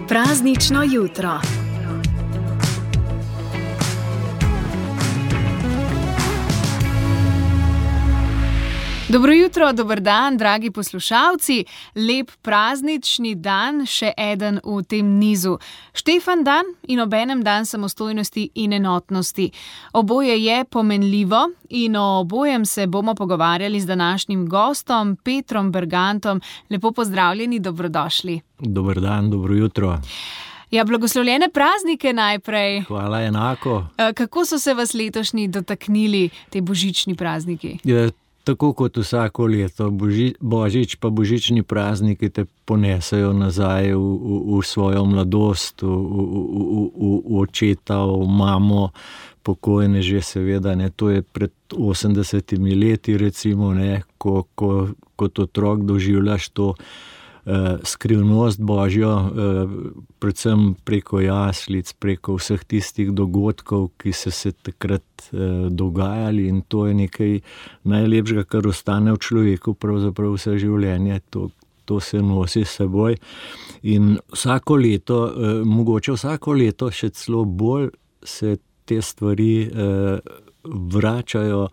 Praznično jutro. Dobro jutro, dober dan, dragi poslušalci. Lep praznični dan, še eden v tem nizu. Štefan dan in obenem dan samostojnosti in enotnosti. Oboje je pomenljivo in o obojem se bomo pogovarjali z današnjim gostom, Petrom Bergantom. Lepo pozdravljeni, dobrodošli. Dober dan, dobro jutro. Ja, blagoslovljene praznike najprej. Hvala, enako. Kako so se vas letošnji dotaknili te božični prazniki? Tako kot vsako leto, božič pa božični prazniki te ponesejo nazaj v svojo mladost, v očeta, v mamo, pokojne že seveda, ne, to je pred 80 leti recimo, ne, ko kot otrok doživljaš to skrivnost Božjo, predvsem preko jaslic, preko vseh tistih dogodkov, ki so se takrat dogajali, in to je nekaj najlepšega, kar ostane v človeku pravzaprav vse življenje. To se nosi s seboj in vsako leto, mogoče vsako leto še celo bolj se te stvari vračajo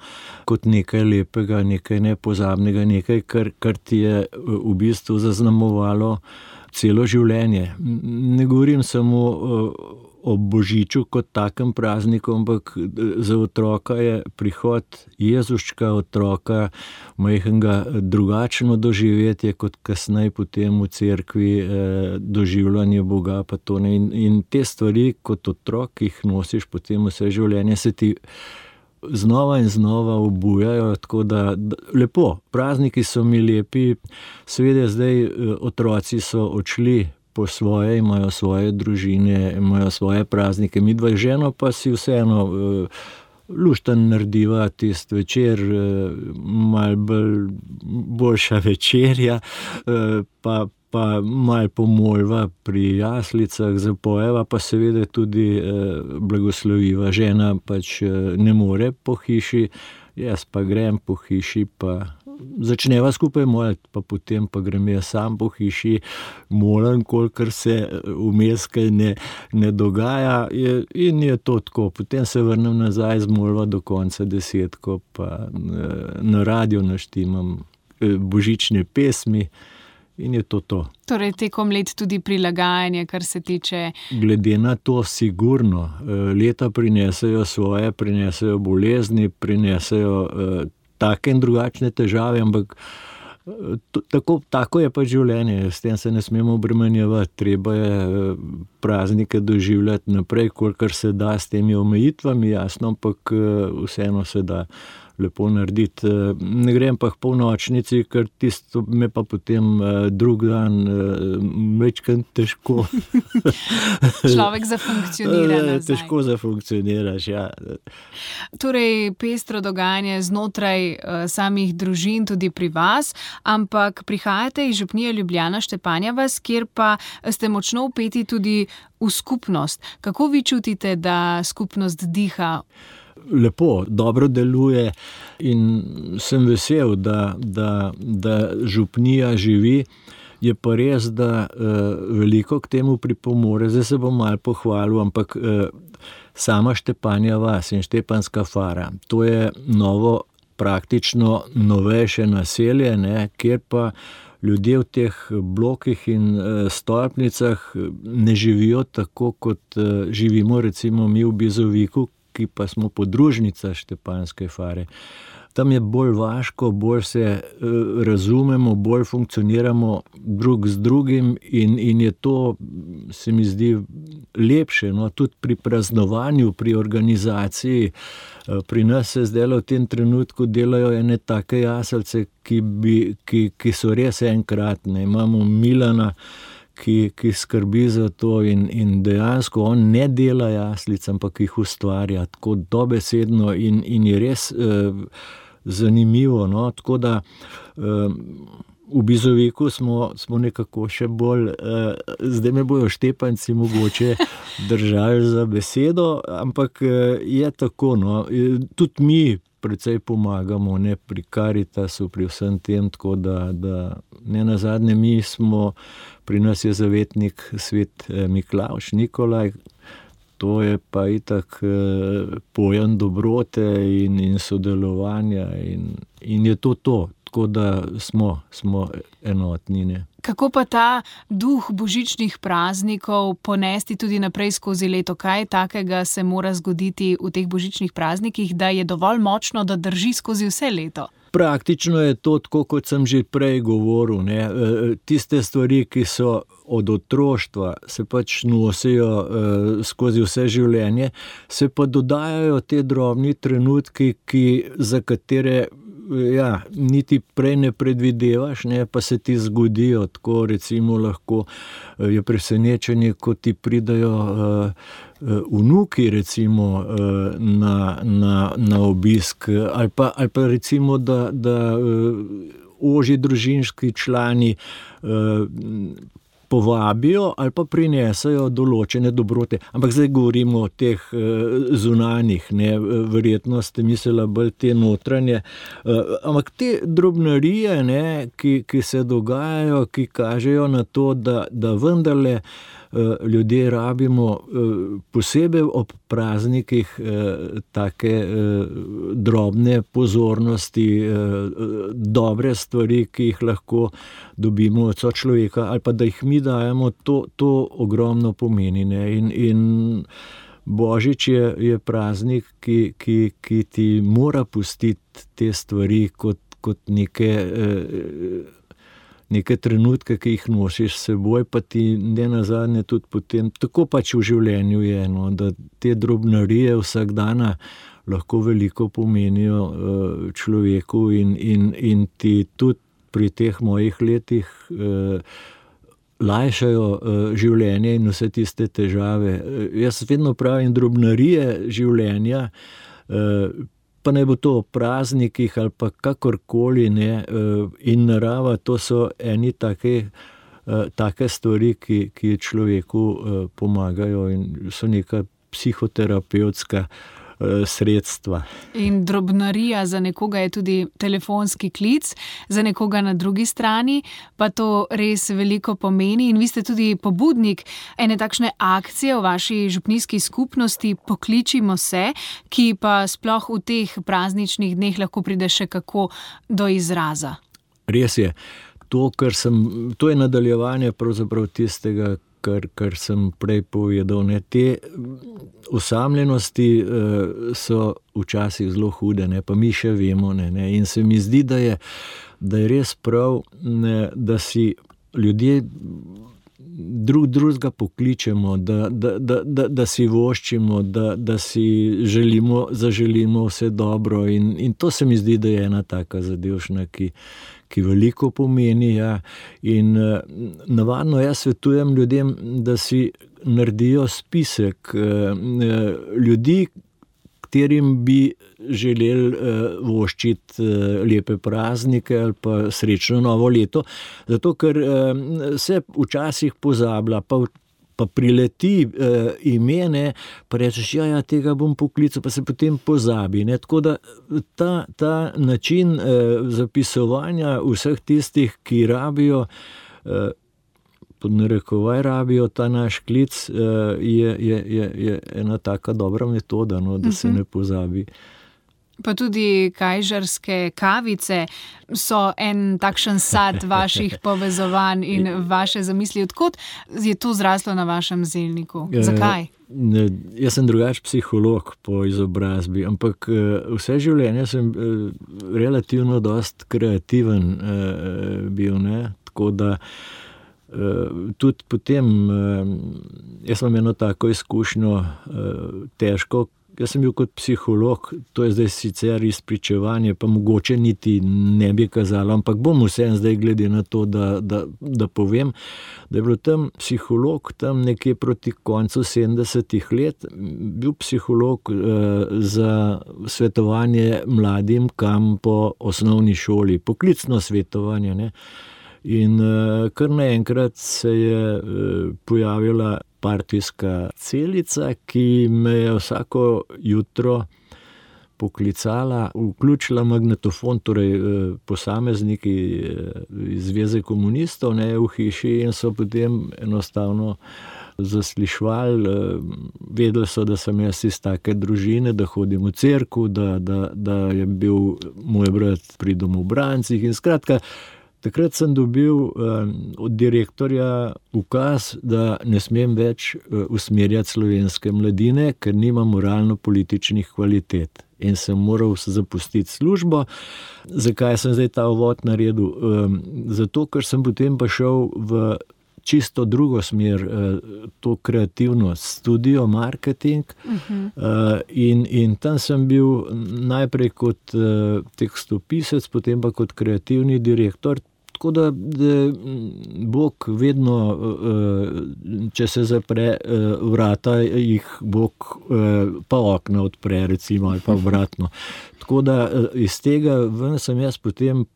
kot nekaj lepega, nekaj nepozabnega, nekaj, kar ti je v bistvu zaznamovalo celo življenje. Ne govorim samo o božiču kot takem prazniku, ampak za otroka je prihod Jezuščka, otroka, majhnega, drugačno doživetje kot kasneje potem v cerkvi doživljanje Boga pa to, ne. In te stvari kot otrok, ki jih nosiš potem vse življenje, se ti znova in znova obujajo, tako da lepo. Prazniki so mi lepi, seveda zdaj otroci so odšli po svoje, imajo svoje družine, imajo svoje praznike, midva z ženo pa si vseeno lušten narediva tisti večer, malo boljša večerja, pa malo pomolva pri jaslicah, zapojeva, pa seveda tudi blagosloviva. Žena pač ne more po hiši, jaz pa grem po hiši, pa začneva skupaj moliti, pa potem pa grem jaz sam po hiši, molim, kolikor se vmes kaj ne dogaja, in je to tako. Potem se vrnem nazaj z molitvo do konca 10, pa na radio naštimam božične pesmi. In je to. Torej tekom let tudi prilagajanje, kar se tiče... Glede na to sigurno. Leta prinesejo svoje, prinesejo bolezni, prinesejo take in drugačne težave, ampak tako je pa življenje, s tem se ne smemo obremenjevati. Treba je praznike doživljati naprej, kolikor se da, s temi omejitvami, jasno, ampak vseeno se da lepo narediti. Ne grem pa k polnočnici, ker tisto me pa potem drug dan večkrat težko. Človek zafunkcionira nazaj. Težko zafunkcioniraš, ja. Torej, pestro dogajanje znotraj samih družin, tudi pri vas, ampak prihajate iz župnije Ljubljana, Štepanja vas, kjer pa ste močno vpeti tudi v skupnost. Kako vi čutite, da skupnost diha? Lepo, dobro deluje in sem vesel, da župnija živi. Je pa res, da veliko k temu pripomore. Zdaj se bom malo pohvalil, ampak sama Štepanja vas in Štepanska fara, to je novo, praktično novejše naselje, ne, kjer pa ljudje v teh blokih in stolpnicah ne živijo tako, kot živimo recimo mi v Bizoviku, ki pa smo podružnica Štepanske fare. Tam je bolj vaško, bolj se razumemo, bolj funkcioniramo drug z drugim in je to, se mi zdi, lepše. No, tudi pri praznovanju, pri organizaciji. Pri nas se zdaj v tem trenutku delajo ene take jaslice, ki so res enkratne. Imamo Milana, ki skrbi za to in dejansko on ne dela jaslic, ampak jih ustvarja tako dobesedno in je res zanimivo, no, tako da v Bizoviku smo nekako še bolj, zdaj me bojo Štepanci mogoče držali za besedo, ampak je tako, no. Tudi mi precej pomagamo, ne, pri Karitasu, pri vsem tem, tako da ne nazadnje pri nas je zavetnik svet Miklavž, Nikolaj, to je pa itak pojem dobrote in sodelovanja in je to. Tako da smo enotni. Ne. Kako pa ta duh božičnih praznikov ponesti tudi naprej skozi leto? Kaj takega se mora zgoditi v teh božičnih praznikih, da je dovolj močno, da drži skozi vse leto? Praktično je to tako, kot sem že prej govoril. Ne. Tiste stvari, ki so od otroštva, se pač nosijo skozi vse življenje, se pa dodajajo te drobni trenutki, za katere niti prej ne predvidevaš, ne, pa se ti zgodijo. Tako recimo lahko je presenečenje, ko ti pridajo vnuki recimo na obisk ali pa recimo, da ožji družinski člani povabijo ali pa prinesajo določene dobrote. Ampak zdaj govorimo o teh zunanjih, ne, verjetno ste mislili bolj te notranje. Ampak te drobnarije, ne, ki se dogajajo, ki kažejo na to, da vendarle ljudje rabimo posebej ob praznikih take drobne pozornosti, dobre stvari, ki jih lahko dobimo od sočloveka, ali pa da jih mi dajemo, to ogromno pomeni. Ne? In Božič je praznik, ki ti mora pustiti te stvari kot neke trenutke, ki jih nosiš s seboj, pa ti ne nazadnje tudi potem, tako pač v življenju je, no, da te drobnarije vsak dana lahko veliko pomenijo človeku in ti tudi pri teh mojih letih lajšajo življenje in vse tiste težave. Jaz vedno pravim, drobnarije življenja, pa ne bo to o praznikih ali pa kakorkoli, ne, in narava, to so eni take stvari, ki človeku pomagajo in so neka psihoterapevtska sredstva. In drobnarija za nekoga je tudi telefonski klic, za nekoga na drugi strani pa to res veliko pomeni in vi ste tudi pobudnik ene takšne akcije v vaši župnijski skupnosti Pokličimo se, ki pa sploh v teh prazničnih dneh lahko pride še kako do izraza. Res je. To je nadaljevanje pravzaprav tistega, kar sem prej povedal. Ne. Te osamljenosti so včasih zelo hude, ne, pa mi še vemo. Ne. In se mi zdi, da je res prav, ne, da si ljudje drugega pokličemo, da si voščimo, da si zaželimo vse dobro. In to se mi zdi, da je ena taka zadevšna, ki veliko pomeni. Ja. In navadno jaz svetujem ljudem, da si naredijo spisek ljudi, katerim bi želeli voščiti lepe praznike ali pa srečno novo leto, zato ker se včasih pozablja, pa prileti ime, pa rečeš, tega bom poklical, pa se potem pozabi. Ne. Tako da ta način zapisovanja vseh tistih, ki rabijo, pod narekovaj rabijo ta naš klic, je ena taka dobra metoda, no, da se ne pozabi. Pa tudi kajžarske kavice so en takšen sad vaših povezovanj in vaše zamisli. Odkot je to zraslo na vašem zelniku? Zakaj? Jaz sem drugač psiholog po izobrazbi, ampak vse življenje sem relativno dost kreativen bil, ne? Tako da tudi potem, jaz imam eno tako izkušnjo težko. Jaz sem bil kot psiholog, to je zdaj sicer izpričevanje, pa mogoče niti ne bi kazalo, ampak bom vseeno zdaj glede na to, da povem, da je bil tam psiholog tam nekje proti koncu 70-ih let, bil psiholog za svetovanje mladim, kam po osnovni šoli, poklicno svetovanje, ne. In kar naenkrat se je pojavila partijska celica, ki me je vsako jutro poklicala, vključila magnetofon, torej posamezniki iz Zveze komunistov, ne, v hiši, in so potem enostavno zaslišvali, vedeli so, da sem jaz iz take družine, da hodim v cerkev, da je bil moj brat pri domobrancih in skratka, takrat sem dobil od direktorja ukaz, da ne smem več usmerjati slovenske mladine, ker nima moralno-političnih kvalitet. In sem moral zapustiti službo. Zakaj sem zdaj ta uvod naredil? Zato, ker sem potem pa šel v čisto drugo smer, to kreativnost, studio, marketing. In tam sem bil najprej kot tekstopisec, potem pa kot kreativni direktor. Tako da Bog vedno, če se zapre vrata, jih Bog pa okna odpre, recimo, ali pa obratno. Tako da iz tega ven sem jaz potem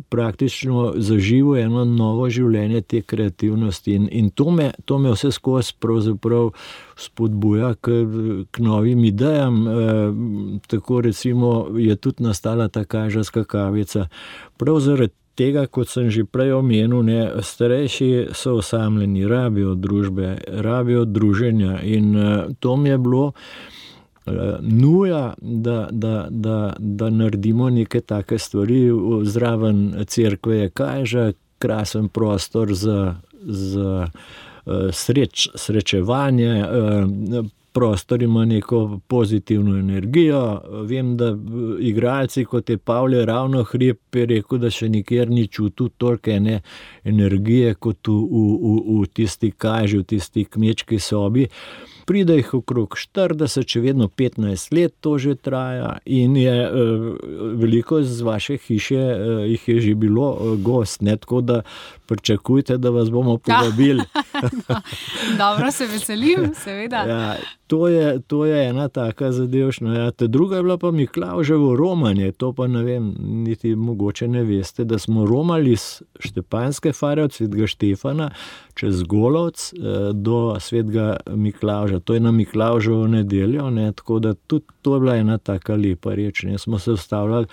praktično zaživel eno novo življenje te kreativnosti in to me vse skozi pravzaprav spodbuja k novim idejam. Tako recimo je tudi nastala ta kažarska kavica. Prav zaradi tega, kot sem že prej omenil, ne, starejši so osamljeni, rabijo družbe, rabijo druženja in to mi je bilo nuja, da naredimo neke take stvari. Zraven cerkve je Kajža, krasen prostor za srečevanje, prostor ima neko pozitivno energijo. Vem, da igralci, kot je Pavle Ravnohrib, je rekel, da še nikjer ni čutil toliko ene energije kot v tisti Kajži, v tisti kmečki sobi. Pride jih okrog 40, še vedno 15 let to že traja in je veliko z vaše hiše jih je že bilo gost, ne, tako da pričakujte, da vas bomo povabili. Dobro, se veselim, seveda. Ja, to je ena taka zadevšna. Ja, ta druga je bila pa Miklavževo romanje, to pa ne vem, niti mogoče ne veste, da smo romali iz Štepanjske fare od Svetega Štefana čez Golovc do Svetega Miklavža. To je na Miklavževo nedeljo, ne, tako da tudi to je bila ena taka lepa reč. Ne. Smo se ustavljali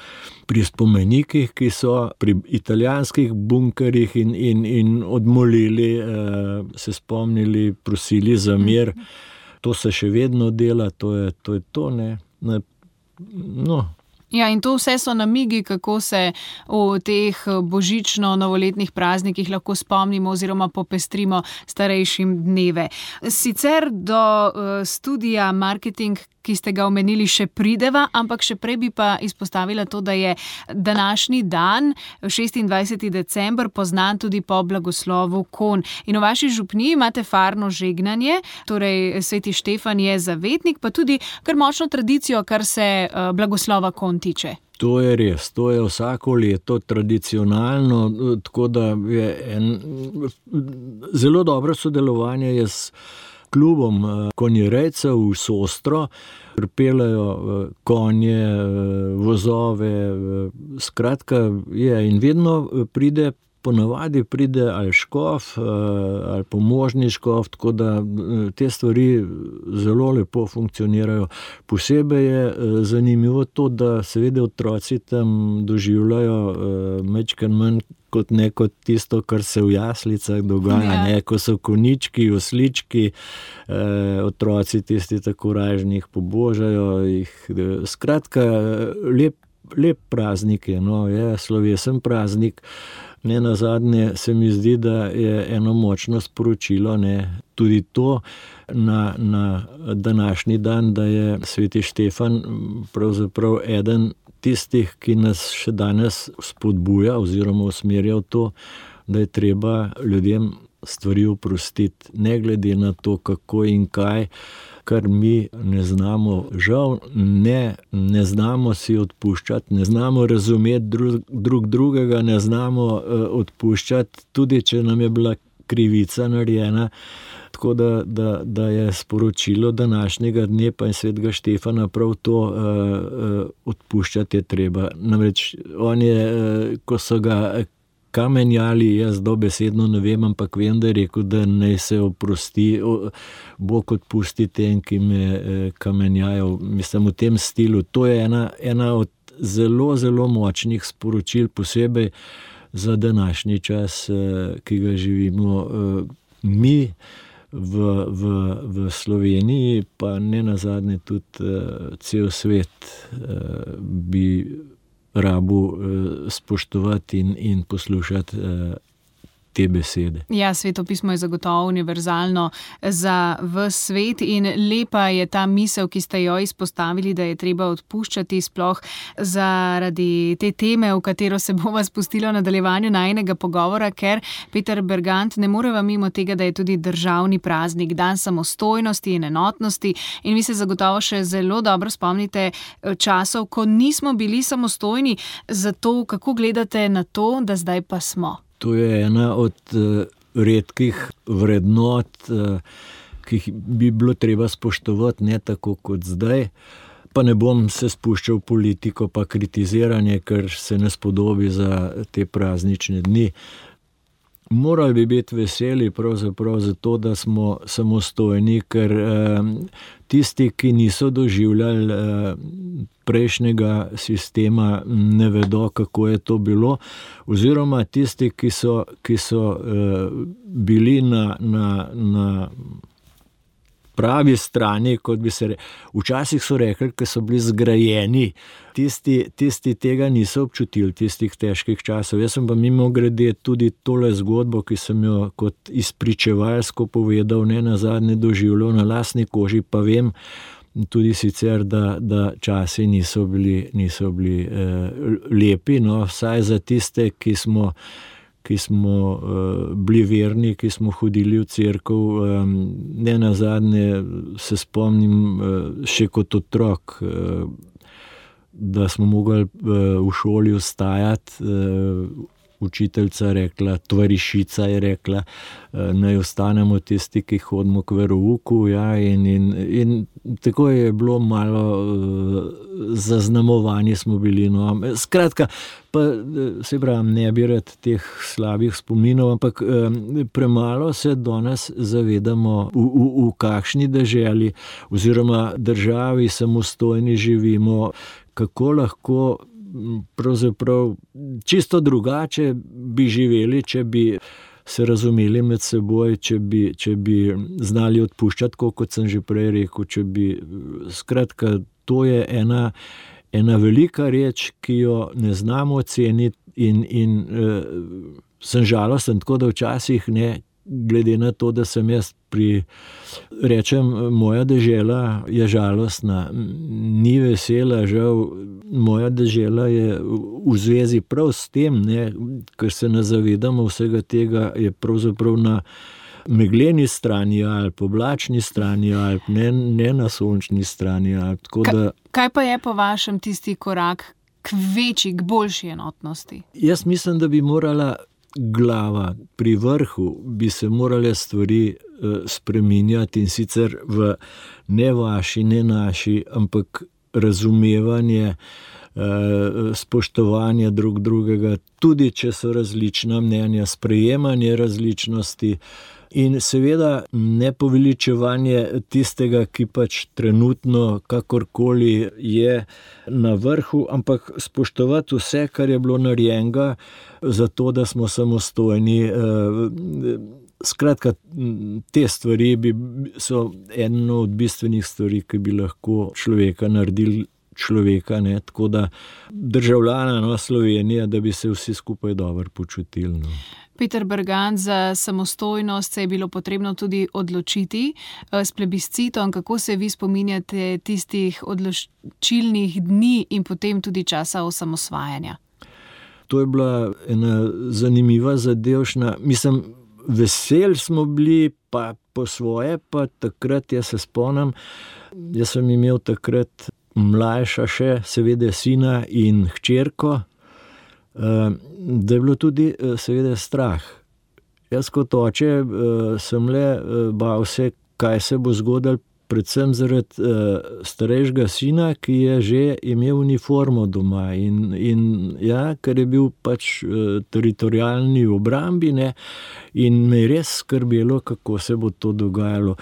pri spomenikih, ki so pri italijanskih bunkerjih in odmolili, se spomnili, prosili za mir. To se še vedno dela, to je to, ne. No. Ja, in to vse so namigi, kako se v teh božično-novoletnih praznikih lahko spomnimo oziroma popestrimo starejšim dneve. Sicer do studija marketing, ki ste ga omenili, še prideva, ampak še prej bi pa izpostavila to, da je današnji dan, 26. december, poznan tudi po blagoslovu kon. In v vaši župniji imate farno žegnanje, torej Sveti Štefan je zavetnik, pa tudi kar močno tradicijo, kar se blagoslova kon tiče. To je res, to je vsako leto tradicionalno, tako da je zelo dobro sodelovanje je s klubom konjerejcev v Sostro, pripeljejo konje, vozove, skratka je in vedno ponavadi pride ali škof ali pomožni škof, tako da te stvari zelo lepo funkcionirajo. Posebej je zanimivo to, da seveda otroci tam doživljajo majčkeno manj kot tisto, kar se v jaslicah dogaja, ne, ko so konički, oslički, otroci tisti tako ražnih pobožajo jih. Skratka, lep praznik je, no, je slovesen praznik. Nenazadnje se mi zdi, da je eno močno sporočilo, ne, tudi to na današnji dan, da je Sveti Štefan pravzaprav eden tistih, ki nas še danes spodbuja oziroma usmerja v to, da je treba ljudem stvari oprostiti, ne glede na to, kako in kaj, kar mi ne znamo, žal ne znamo si odpuščati, ne znamo razumeti drug drugega, ne znamo odpuščati, tudi če nam je bila krivica narejena. Tako da je sporočilo današnjega dne pa in Svetega Štefana prav to, odpuščati je treba. Namreč on je, ko so ga kamenjali, jaz dobesedno ne vem, ampak vem, da je rekel, da naj se oprosti, Bog odpusti tem, ki me kamenjajo. Mislim, v tem stilu. To je ena od zelo, zelo močnih sporočil, posebej za današnji čas, ki ga živimo. Mi v Sloveniji, pa ne nazadnje tudi cel svet, bi rabu spoštovati in poslušati te besede. Ja, Sveto pismo je zagotovo univerzalno za ves svet in lepa je ta misel, ki ste jo izpostavili, da je treba odpuščati, sploh zaradi te teme, v katero se bova spustila v nadaljevanju najinega pogovora, ker Peter Bergant, ne moreva mimo tega, da je tudi državni praznik, dan samostojnosti in enotnosti, in vi se zagotovo še zelo dobro spomnite časov, ko nismo bili samostojni. Zato kako gledate na to, da zdaj pa smo? To je ena od redkih vrednot, ki jih bi bilo treba spoštovati, ne tako kot zdaj. Pa ne bom se spuščal v politiko pa kritiziranje, ker se ne spodobi za te praznične dni. Morali bi biti veseli pravzaprav zato, da smo samostojni, ker tisti, ki niso doživljali prejšnjega sistema, ne vedo, kako je to bilo, oziroma tisti, ki so bili na pravi strani, kot bi se včasih so rekli, ki so bili zgrajeni, tisti tega niso občutili, tistih težkih časov. Jaz sem pa mimogrede tudi tole zgodbo, ki sem jo kot izpričevalsko povedal, ne nazadnje doživljal na lastni koži, pa vem tudi sicer, da časi niso bili lepi, no, vsaj za tiste, ki smo bili verni, ki smo hodili v cerkev. Ne nazadnje se spomnim še kot otrok, da smo mogli v šoli vstajati, učiteljica rekla, tovarišica je rekla, naj ostanemo tisti, ki hodimo k verouku, ja, in tako je bilo malo zaznamovani smo bili, no. Skratka, pa se pravim, ne bi rad teh slabih spominov, ampak premalo se danes zavedamo, v kakšni deželi oziroma državi samostojni živimo, kako lahko pravzaprav čisto drugače bi živeli, če bi se razumeli med seboj, če bi znali odpuščati, kot sem že prej rekel, skratka, to je ena velika reč, ki jo ne znamo oceniti in sem žalosten, tako da včasih ne, glede na to, da sem jaz rečem, moja dežela je žalostna, ni vesela, žal, moja dežela je v zvezi prav s tem, ne, ker se ne zavedamo vsega tega, je pravzaprav na megleni strani Alp, oblačni strani Alp, ne na sončni strani Alp. Kaj pa je po vašem tisti korak k večji, k boljši enotnosti? Jaz mislim, da bi morala glava pri vrhu, bi se morale stvari spreminjati, in sicer v ne vaši, ne naši, ampak razumevanje, spoštovanje drug drugega, tudi če so različna mnenja, sprejemanje različnosti in seveda ne poveličevanje tistega, ki pač trenutno kakorkoli je na vrhu, ampak spoštovati vse, kar je bilo narejenega za to, da smo samostojni. Skratka, te stvari so eno od bistvenih stvari, ki bi lahko človeka naredili človeka, ne, tako da državljana, no, Slovenija, da bi se vsi skupaj dobro počutili, no. Peter Bergant, za samostojnost se je bilo potrebno tudi odločiti s plebiscitom. Kako se vi spominjate tistih odločilnih dni in potem tudi časa osamosvajanja? To je bila ena zanimiva zadevšna. Mislim, veseli smo bili, pa po svoje, pa takrat, jaz se spomnim, jaz sem imel takrat mlajša še, seveda sina in hčerko, da je bilo tudi seveda strah. Jaz kot oče sem le bal se, kaj se bo zgodilo predvsem zaradi starejšega sina, ki je že imel uniformo doma in ker je bil pač teritorialni obrambi, ne, in me je res skrbelo, kako se bo to dogajalo.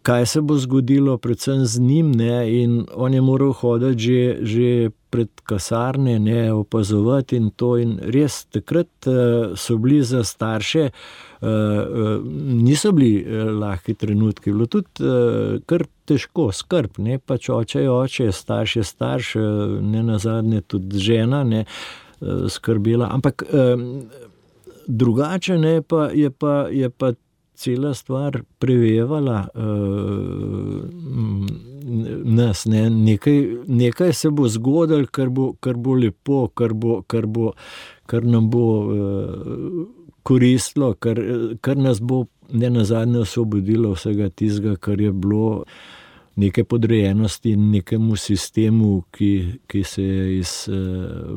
Kaj se bo zgodilo predvsem z njim, ne, in on je moral hoditi že pred kasarne, ne, opazovati in to, in res takrat so bili za starše, niso bili lahki trenutki, bilo tudi kar težko, skrb, ne, pač oče je oče, starš je starš, ne nazadnje tudi žena, ne, skrbela, ampak drugače, ne, je pa cela stvar prevevala nas, ne, nekaj se bo zgodilo, kar bo lepo, kar nam bo koristilo, kar nas bo nenazadnje osvobodilo vsega tistega, kar je bilo neke podrejenosti nekemu sistemu, ki se je iz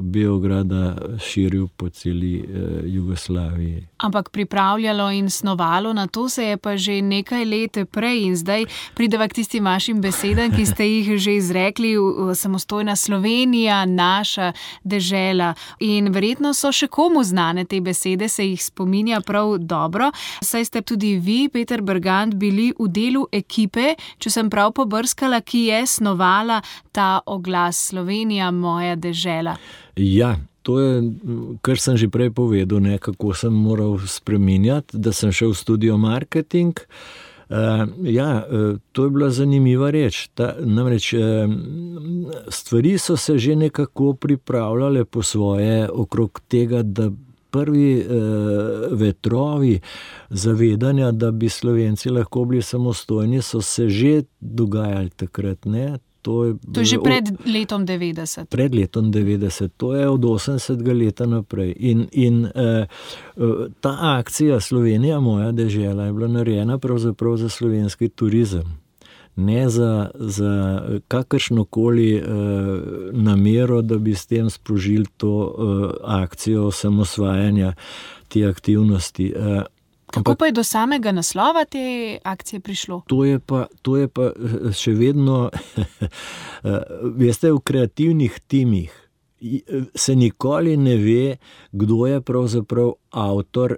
Beograda širil po celi Jugoslaviji. Ampak pripravljalo in snovalo na to se je pa že nekaj let prej in zdaj prideva k tistim vašim besedam, ki ste jih že izrekli, samostojna Slovenija, naša dežela. In verjetno so še komu znane te besede, se jih spominja prav dobro. Saj ste tudi vi, Peter Bergant, bili v delu ekipe, če sem prav pobrskala, ki je snovala ta oglas Slovenija, moja dežela. Ja, to je, kar sem že prej povedal, ne, kako sem moral spreminjati, da sem šel v studio marketing. To je bila zanimiva reč. Namreč stvari so se že nekako pripravljale po svoje okrog tega, da prvi vetrovi zavedanja, da bi Slovenci lahko bili samostojni, so se že dogajali takrat, ne. To je že pred letom 90. Pred letom 90, to je od 80. leta naprej. In ta akcija Slovenija, moja dežela, je bila narejena pravzaprav za slovenski turizem. Ne za kakršnokoli namero, da bi s tem sprožili to akcijo osamosvajanja, te aktivnosti. Kako pa je do samega naslova te akcije prišlo? To je pa še vedno, veste, v kreativnih timih se nikoli ne ve, kdo je pravzaprav avtor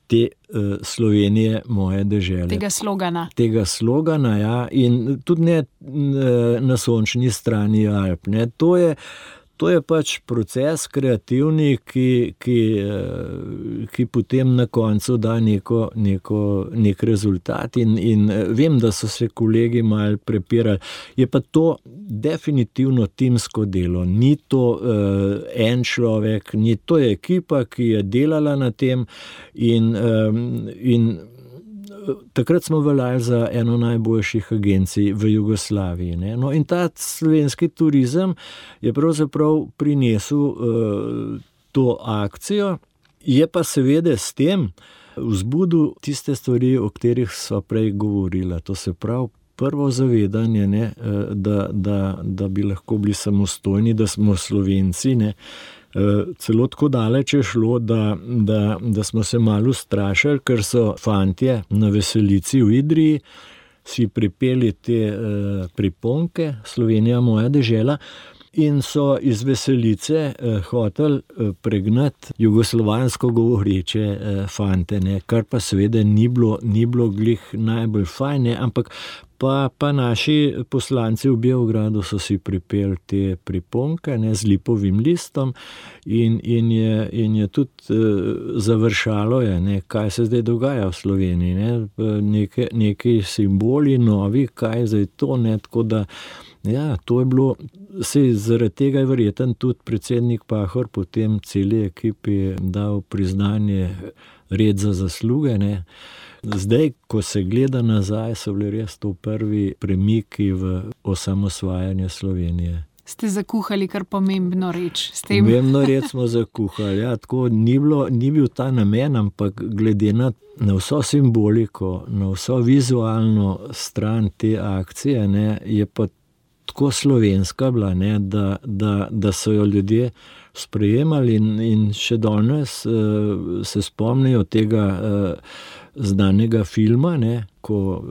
te Slovenije, moje dežele. Tega slogana, ja, in tudi ne na sončni strani Alp, ne. To je pač proces kreativni, ki potem na koncu da nek rezultat in vem, da so se kolegi malo prepirali. Je pa to definitivno timsko delo. Ni to en človek, to je ekipa, ki je delala na tem in takrat smo veljali za eno najboljših agencij v Jugoslaviji, ne. No, in ta slovenski turizem je pravzaprav prinesel to akcijo, je pa seveda s tem vzbudil tiste stvari, o katerih sva prej govorila. To se pravi, prvo zavedanje, ne, da bi lahko bili samostojni, da smo Slovenci, ne. Celo tako daleč je šlo, da smo se malo ustrašili, ker so fantje na veselici v Idriji si pripeli te priponke Slovenija, moja dežela, in so iz veselice hoteli pregnati jugoslovansko govoreče fante, ne, kar pa seveda ni bilo glih najbolj fajn, ne, ampak pa naši poslanci v Beogradu so si pripeli te priponke, ne, z lipovim listom in je tudi završalo je, ne, kaj se zdaj dogaja v Sloveniji, ne, neki simboli novi, kaj zdaj to, ne, tako da ja, to je bilo, zaradi tega je verjeten tudi predsednik Pahor potem celi ekipi dal priznanje red za zasluge, ne. Zdaj, ko se gleda nazaj, so bili res to prvi premiki v osamosvajanje Slovenije. Ste zakuhali kar pomembno reč s tem? Pomembno reč smo zakuhali, ja, tako ni bil ta namen, ampak glede na vso simboliko, na vso vizualno stran te akcije, ne, je pa tako slovenska bila, ne, da so jo ljudje sprejemali in še danes se spomnijo tega znanega filma, ne, ko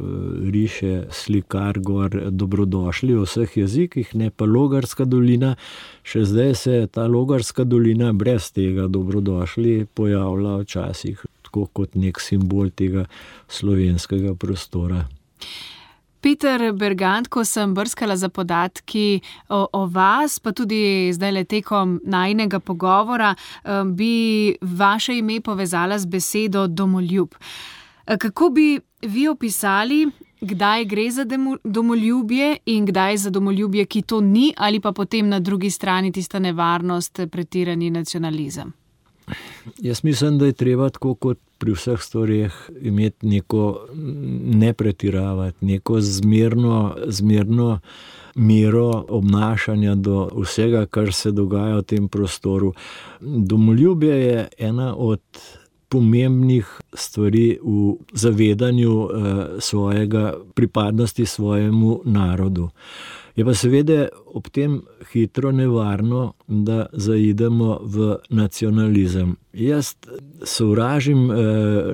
riše slikar gor dobrodošli v vseh jezikih, ne, pa Logarska dolina. Še zdaj se ta Logarska dolina brez tega dobrodošli pojavlja včasih tako kot nek simbol tega slovenskega prostora. Peter Bergant, ko sem brskala za podatki o vas, pa tudi zdajle tekom najinega pogovora, bi vaše ime povezala z besedo domoljub. Kako bi vi opisali, kdaj gre za domoljubje in kdaj za domoljubje, ki to ni, ali pa potem na drugi strani tista nevarnost, pretirani nacionalizem? Jaz mislim, da je treba tako kot pri vseh stvareh imeti neko ne pretiravati, neko zmerno mero obnašanja do vsega, kar se dogaja v tem prostoru. Domoljubje je ena od pomembnih stvari v zavedanju svojega pripadnosti svojemu narodu. Je pa seveda ob tem hitro nevarno, da zaidemo v nacionalizem. Jaz sovražim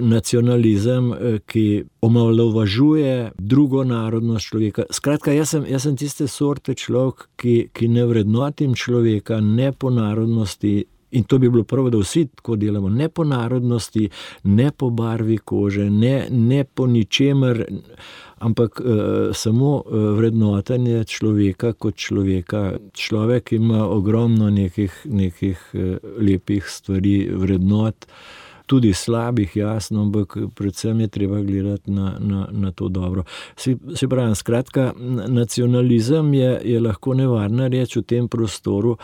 nacionalizem, ki omalovažuje drugo narodnost človeka. Skratka, jaz sem tiste sorte človek, ki ne vrednotim človeka ne po narodnosti, in to bi bilo prvo, da vsi tako delamo, ne po narodnosti, ne po barvi kože, ne po ničemer, ampak samo vrednotenje človeka kot človeka. Človek ima ogromno nekih lepih stvari, vrednot, tudi slabih, jasno, ampak predvsem je treba gledati na to dobro. Se pravi, skratka, nacionalizem je lahko nevarna reč v tem prostoru.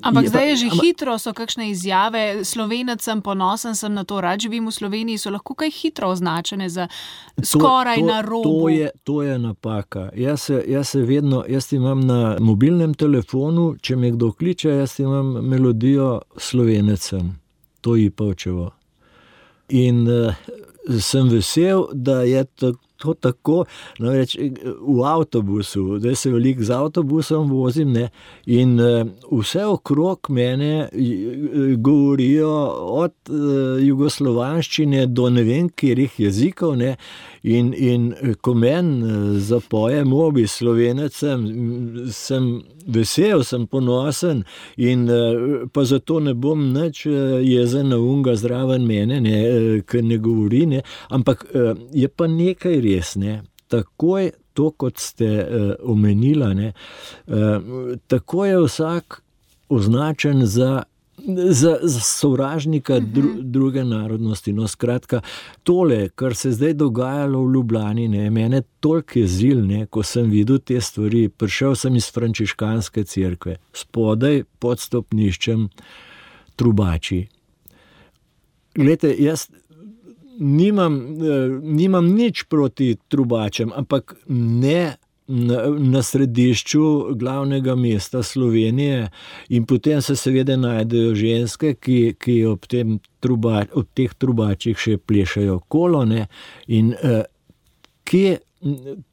Ampak zdaj je že hitro, so kakšne izjave, Slovenec sem, ponosen sem na to, rad živim v Sloveniji, so lahko kaj hitro označene za skoraj na robu. To je napaka. Jaz imam na mobilnem telefonu, če me kdo kliče, jaz imam melodijo Slovenecem, to je Ipavčevo. In sem vesel, da je to tako, namreč v avtobusu, da se veliko z avtobusom vozim, ne, in vse okrog mene govorijo od jugoslovanščine do ne vem katerih jezikov, ne, in ko meni zapoje mobi Slovenec sem vesel, sem ponosen in pa zato ne bom nič jezen na unga zraven mene, ne, ker ne govori, ne, ampak je pa nekaj res, ne, takoj to, kot ste omenila, ne, tako je vsak označen za sovražnika druge narodnosti. No, skratka, tole, kar se zdaj dogajalo v Ljubljani, ne, mene toliko jezil, ne, ko sem videl te stvari. Prišel sem iz frančiškanske cerkve, spodaj pod stopniščem trubači. Glejte, jaz nimam nič proti trubačem, ampak ne na središču glavnega mesta Slovenije, in potem se seveda najdejo ženske, ki ob teh trubačih še plešajo kolo, ne, in kje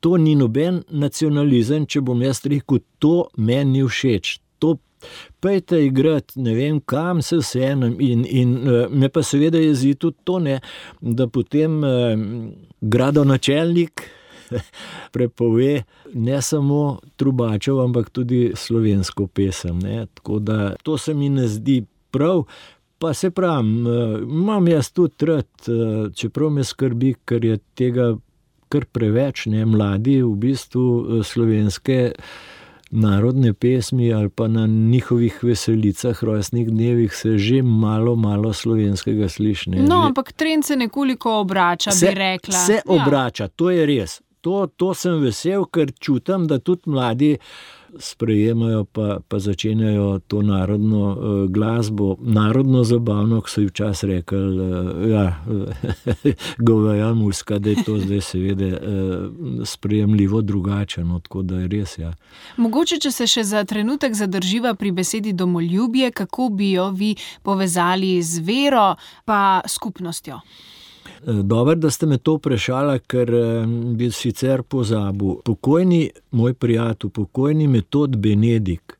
to ni noben nacionalizem, če bom jaz rekel, to meni ni všeč, to pejte igrati, ne vem kam, se vseeno, in me pa seveda jezi tudi to, ne, da potem gradonačelnik prepove ne samo trubačev, ampak tudi slovensko pesem, ne. Tako da to se mi ne zdi prav, pa se pravim, imam jaz tudi rad, čeprav me skrbi, ker je tega kar preveč, ne, mladi v bistvu slovenske narodne pesmi ali pa na njihovih veselicah, rojstnih dnevih se že malo slovenskega sliši. No, ampak trend se nekoliko obrača, bi rekla. Se obrača, to je res. To sem vesel, ker čutim, da tudi mladi sprejemajo pa začenjajo to narodno glasbo, narodno zabavno, ko so včasih rekli, goveja muska, da je to zdaj seveda sprejemljivo drugače, no, tako da je res, ja. Mogoče, če se še za trenutek zadrživa pri besedi domoljubje, kako bi jo vi povezali z vero pa skupnostjo? Dobro, da ste me to vprašala, ker bi sicer pozabil. Pokojni moj prijatelj, pokojni Metod Benedik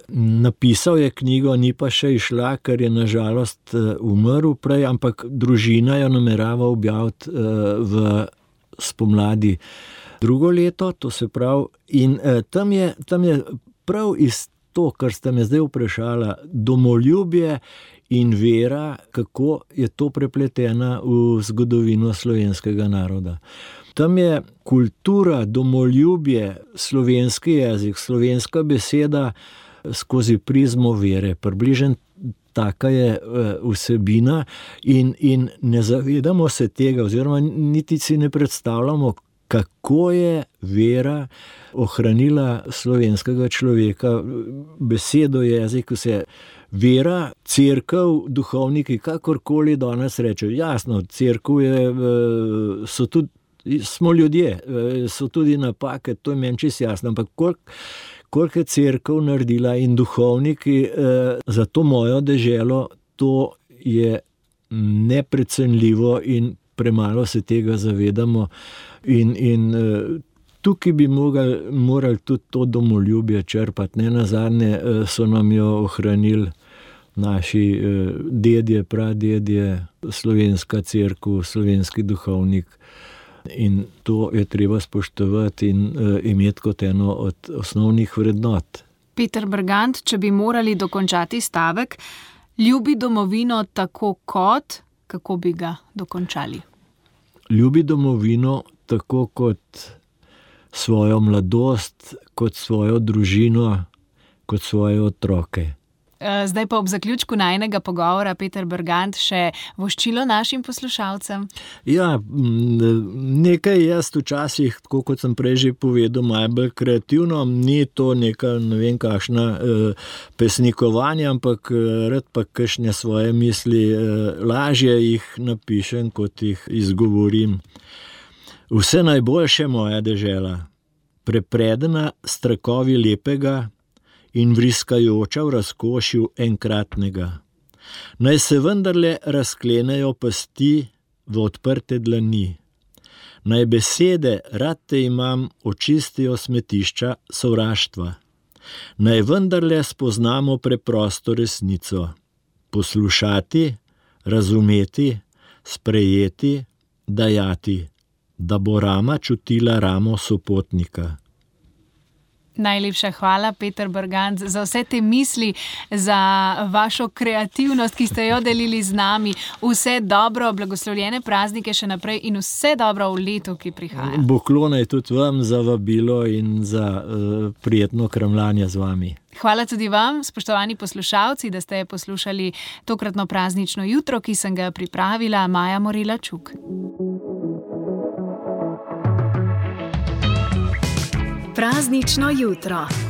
napisal je knjigo, ni pa še izšla, ker je nažalost umrl prej, ampak družina jo namerava objaviti v spomladi drugo leto, to se pravi, in tam je prav iz to, kar ste me zdaj vprašala, domoljubje in vera, kako je to prepletena v zgodovino slovenskega naroda. Tam je kultura, domoljubje, slovenski jezik, slovenska beseda skozi prizmo vere. Približno taka je vsebina in ne zavedamo se tega, oziroma niti si ne predstavljamo, kako je vera ohranila slovenskega človeka, besedo, jezik, vse. Vera, cerkev, duhovniki, kakorkoli danes rečejo. Jasno, cerkev smo ljudje, so tudi napake, to je meni čisto jasno, ampak koliko je cerkev naredila in duhovniki za to mojo deželo, to je neprecenljivo in premalo se tega zavedamo. In tukaj bi morali tudi to domoljubje črpati. Nenazadnje so nam jo ohranili naši dedje, pradedje, slovenska cerkev, slovenski duhovnik. In to je treba spoštovati in imeti kot eno od osnovnih vrednot. Peter Bergant, če bi morali dokončati stavek, ljubi domovino tako kot, kako bi ga dokončali? Ljubi domovino tako kot svojo mladost, kot svojo družino, kot svoje otroke. Zdaj pa ob zaključku najinega pogovora, Peter Bergant, še voščilo našim poslušalcem? Ja, nekaj jaz včasih, tako kot sem prej že povedal, malo bolj kreativno, ni to neka, ne vem kakšna pesnikovanje, ampak rad pa kakšne svoje misli lažje jih napišem, kot jih izgovorim. Vse najboljše, moja dežela, prepredena s trakovi lepega in vriskajoča v razkošju enkratnega. Naj se vendarle razklenejo pasti v odprte dlani. Naj besede, rad te imam, očistijo smetišča sovraštva. Naj vendarle spoznamo preprosto resnico. Poslušati, razumeti, sprejeti, dajati, da bo rama čutila ramo sopotnika. Najlepša hvala, Peter Bergant, za vse te misli, za vašo kreativnost, ki ste jo delili z nami. Vse dobro, blagoslovljene praznike še naprej in vse dobro v letu, ki prihaja. Poklonaj tudi vam za vabilo in za prijetno kramljanje z vami. Hvala tudi vam, spoštovani poslušalci, da ste poslušali tokratno praznično jutro, ki sem ga pripravila, Maja Morela Čuk. Praznično jutro.